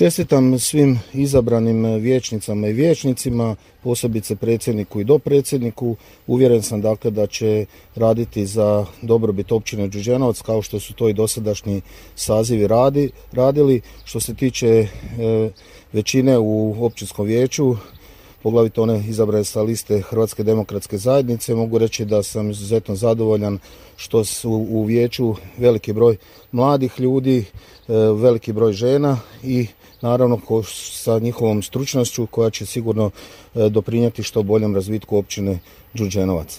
Čestitam svim izabranim vijećnicama i vijećnicima, posebice predsjedniku i dopredsjedniku. Uvjeren sam dakle da će raditi za dobrobit općine Đurđenovac kao što su to i dosadašnji sazivi radili. Što se tiče većine u općinskom vijeću, poglavito one izabrane sa liste Hrvatske demokratske zajednice, mogu reći da sam izuzetno zadovoljan što su u vijeću veliki broj mladih ljudi, veliki broj žena i naravno sa njihovom stručnošću koja će sigurno doprinijeti što boljem razvitku općine Đurđenovac.